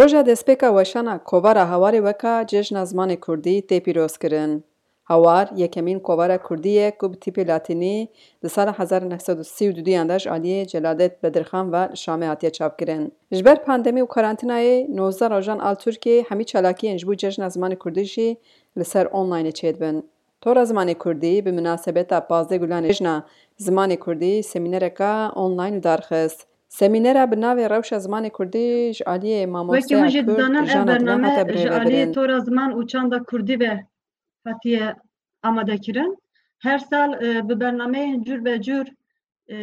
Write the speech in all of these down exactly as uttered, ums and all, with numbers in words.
Roja destpêka weşana Kovara Hawarê weka Cejna Zimanê Kurdî tê pîrozkirin. Hawar yekemîn kovara kurdî ye ku bi tîpê latînî di sala hezar neh sed û sî û duduyan de ji aliyê Celadet Bedirxan ve li Şamê hatiye çapkirin. Ji ber pandemî û karantînayê nozdeh rojan a li Tirkiyeyê hemî çalakiyên ji bo Cejna Zimanê Kurdî jî li ser onlineê çêdibin. Tora Zimanê Kurdî bi minasebeta pazdeh Gulanê Cejna Zimanê Kurdî semînereka online li dar xist. Semînera bi navê Rewşa Zimanê Kurdî ji aliyê mamosteya Kurd Jana Dilan hate birêvebirin. Wekî min jî dizane, ev bername ji aliyê Tora Ziman û Çanda Kurdî ve hatiye amadekirin. Her sal, e, bi bernameyên cur be cur, e,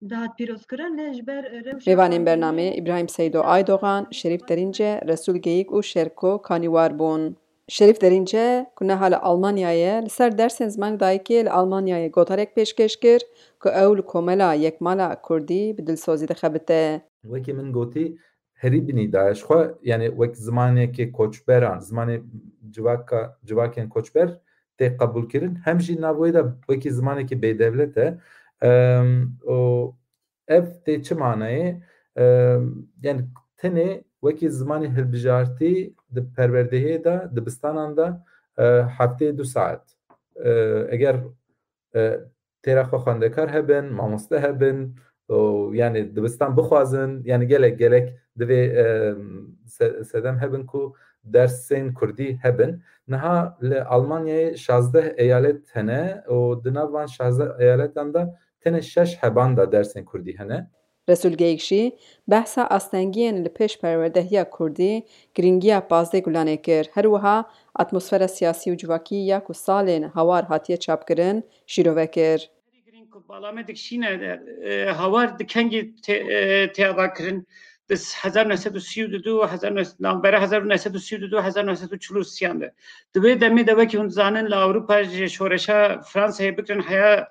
dihat pîrozkirin, lê ji ber, e, rewşa Mêvanên bernamê Îbrahîm Seydo Aydogan, Şerîf Derînce, Resul Geyik û Şerko Kanîwar bûn. Şerîf Derînce, ku niha li Almanyayê ye, li ser dersên zimanê dayikê li Almanyayê gotarek pêşkêş kir ku ew li Komela Yekmala Kurdî bi dilsozî dixebite. Wekî min gotî, herî binî daye. Ji xwe, yani wek zimanekê koçberan, zimanê civaka, civakên koçber tê qebûlkirin, hem jî nav wê de wekî zimanekî bêdewlet e. Em, û ev tê çi manayê? Em, yani tenê wekî zimanê hilbijartî di perwerdehiyê de, dibistanan de, e, hefteyê du saet. E, eger, e, têra xwe xwendekar hebin, mamoste hebin, û yani dibistan bixwazin, yani gelek, gelek divê, e, se-, sedem hebin ku dersên kurdî hebin. Niha li Almanyayê şazdeh eyalet hene û di nav van şazdeh eyaletan de tenê şeş heban de dersên kurdî hene. Resul Geyik jî behsa astengiyên li pêş perwerdehiya kurdî, girîngiya pazdeh Gulanê kir. Her wiha atmosfera siyasî û civakî ya ku salên Hawar hatiye çapkirin, şîrove kir. Herî girîng ku bala me dikişîne, e, Hawar di kengî tê, e, tê avakirin, di hezar neh sed û sî û du û hezar neh sed, navbera hezar neh sed û sî û du û hezar neh sed û çil û sî de. Di wê demê de, wekî hûn dizanin, li Ewropa ji şoreşa Fransayê bigirin heya,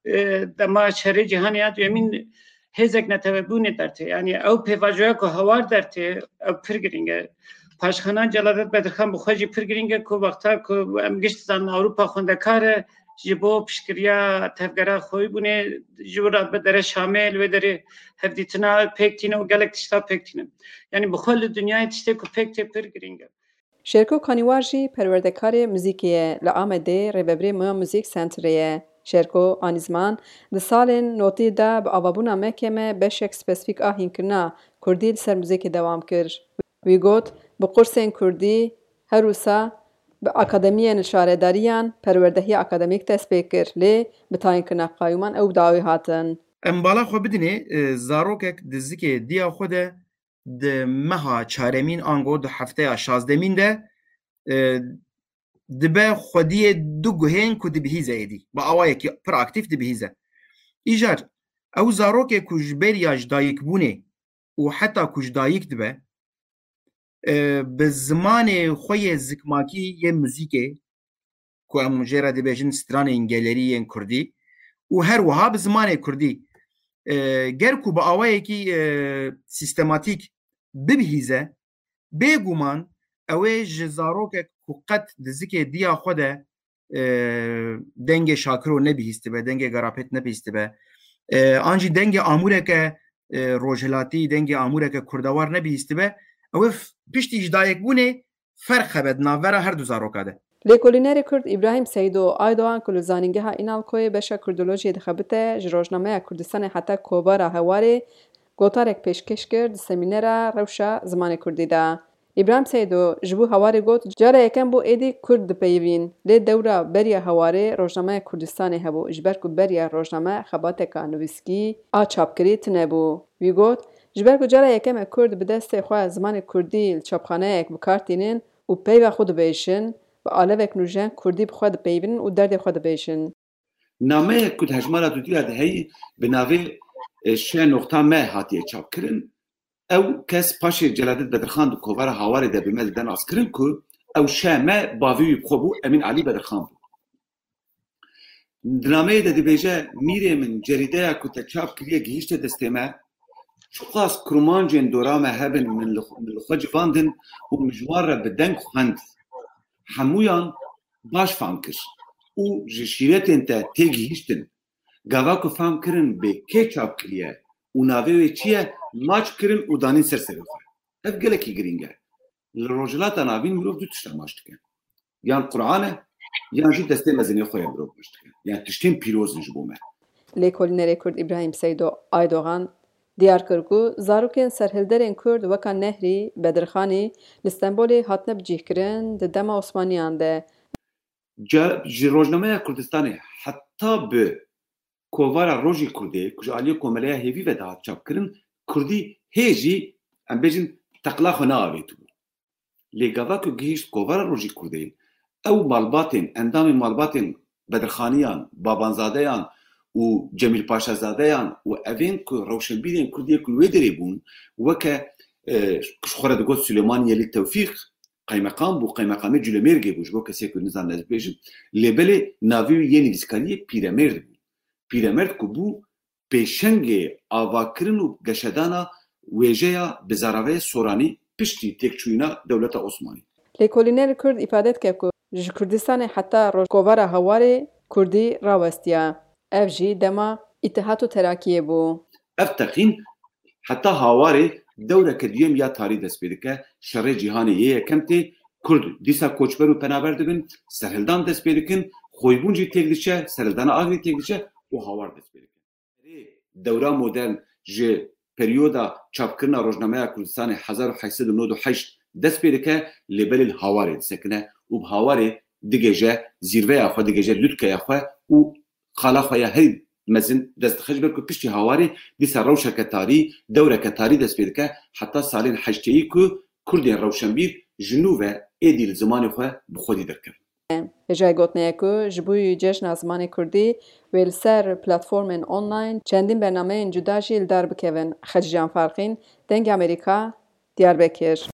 e, dema şerê cîhanê ya duyemîn hêzek netewebûnê dertê. Yanî ew pêvajoya ku Hawar dertê, ew pir girîng e. Paşxana Celadet Bedirxan bi xwe jî pir girîng e ku wexta ku em giş dizanin Ewropa xwendekar e, ji bo piştgiriya tevgera xweyîbûnê ji wir re bi dere Şamê, li wê derê hevdîtina pêk tîne û gelek tişta pêk tîne. Yanî bi xwe li dinyayê tiştê ku pêk tê pir girîng e. Şêrko Kanîwar jî perwerdekarê muzîkê ye, li Amedê rêvebirê Moya Muzîk Centerê ye. Şêrko anî ziman di salên notî de bi avabûna M K M beşek spesifîk a hînkirina kurdî li ser muzîkê dewam kir. Wî got, bi qursên kurdî her wisa bi akademiyên li şaredariyan perwerdehiya akademîk dest pê kir, lê bi tayînkirina qayûman ew bi dawî hatin. Em bala xwe bidinê, e, zarokek di zikê diya xwe de di meha çaremîn ango di hefteya şazdemîn de, e, dibe xwediyê du guhên ku dibihîze êdî. Bi awayekî pir aktîf dibihîze. Îcar, ew zarokê ku ji beriya ji dayikbûnê û heta ku ji dayik dibe, e, bi zimanê xwe yê zikmakî yê muzîkê, ku em jê re dibêjin stranên gelerî yên kurdî û her wiha bi zimanê kurdî, e, ger ku bi awayekî, e, sîstematîk bibihîze, bêguman ew ê ji zarokek ku qet di zikê diya xwe de, e, dengê Şakiro nebihîstibe, dengê Garapêt nebihîstibe, e, an jî dengê amûreke, e, rojhilatî, dengê amûreke kurdewar nebihîstibe, ew ê f-, piştî ji dayikbûnê ferq hebe di navbera her du zaroka de. Lêkolînerê Kurd Îbrahîm Seydo Aydogan ku li Zanîngeha Înalkoyê beşa Kurdolojiyê dixebite, ji rojnameya Kurdistanê heta Kovara Hewarê gotarek pêşkêş kir di semînera Rewşa Zimanê Kurdî de. Îbrahîm Seydo ji bo Hewarê got, cara yekem bû êdî Kurd dipeyivîn, lê dewra beriya Hewarê rojnameya Kurdistanê hebû, ji ber ku beriya rojname xebateka nivîskî a çapkirî tune bû. Wî got, ji ber ku cara yekem e Kurd bi destê xwe zimanê Kurdî li çapxaneyek bi kar tînin û peyva xwe dibêjin, bi alevek nûjen Kurdî bi xwe dipeyivin û derdê xwe dibêjin. Nameyek ku di hejmara duduya de heyî bi navê, e, Ş noqta M hatiye çapkirin, ew kes paşê Celadet Bedirxan di kovara Hawarê de bi me dide naskirin ku ew Ş M bavê wî bi xwe bû, Emîn Elî Bedirxan bû. Di nameyê de dibêje, Mîrê min, cerîdeya ku te çap kiriye gihîşte destê me. Çiqas kurmancên dora me hebin, min li xwe, min li xwe civandin û min ji wan re bi deng xwend. Hemûyan baş fam kir û ji şîretên te têgihîştin. Gava ku fam kirin bê kê çap kiriye û navê wê çi ye, maç kirin û danîn ser serê xwe. Ev gelekî girîng e. Li Rojhilata Navîn mirov du tişt amaç dike. Yan Quran e, yan jî destê mezinê xwe ye mirov amaç dike. Yani tiştên pîroz in ji bo me. Lêkolînerê Kurd Îbrahîm Seydo Aydogan diyar kir ku zarokên serhilderên Kurd weka Nehrî, Bedirxanî li Stenbolê hatine bicîhkirin di dema Osmaniyan de. Ca-, ji Rojnameya Kurdistanê heta bi Kovara Rojî Kurdê, ku ji aliyê Komeleya Hêvî ve dihat çapkirin, Kurdî hê jî, em bêjin, teqla xwe neavêtibû. Lê gava ku gihîşt Kovara Rojî Kurdê, ew malbatên, endamên malbatên Bedirxaniyan, Babanzadeyan û Cemîl Paşazadeyan û evên ku rewşenbîrên Kurd yê ku li wê derê bûn, weke, e, ji xwe re digot Silêman Yelî Tewfîq, qeymeqam bû, qeymeqamê Culemêrgê bû, ji bo kesê ku nizane ez bêjim. Lê belê navê wî yê nivîskariyê Pîremêrd bû. Pîremêrd ku bû pêşengê avakirin û geşedana wêjeya bi zaraveyê Soranî piştî têkçûyîna dewleta Osmanî. Lêkolînerê Kurd îfade dike ku ji Kurdistanê heta Rojkovara Hawarê Kurdî rawestiya. Ev jî dema Îtihat û Terakiyê bû. Ev teqîn heta Hawarê dewreke duyem ya tarî dest pê dike, şerê cîhanê yê yekem tê, Kurd dîsa koçber û penaber dibin, serhildan dest pê dikin, xoybûn jî têk diçe, serhildana Agrê têk diçe û Hawar dest pê dikin. Dewra modern ji peryoda çapkirina Rojnameya Kurdistanê hezar û heşt sed û nod û heşt dest pê dike, lê belê li Hawarê disekine û bi Hawarê digêje zîrveya xwe, digêje lûtkeya xwe û qala xwe ya herî mezin dest dixe, ji ber ku piştî Hawarê dîsa rewşeke tarî, dewreke tarî dest pê dike, heta salên heştêyî ku Kurdên rewşenbîr ji nû ve êdî li zimanê xwe bi xwedî derkevin. Hêjayî gotinê ye ku ji bo cejna zimanê Kurdî wê li ser platformên online çendîn bernameyên cuda jî li dar bikevin. Xecîcan Farqîn, Dengê Amerîka, Diyarbekir.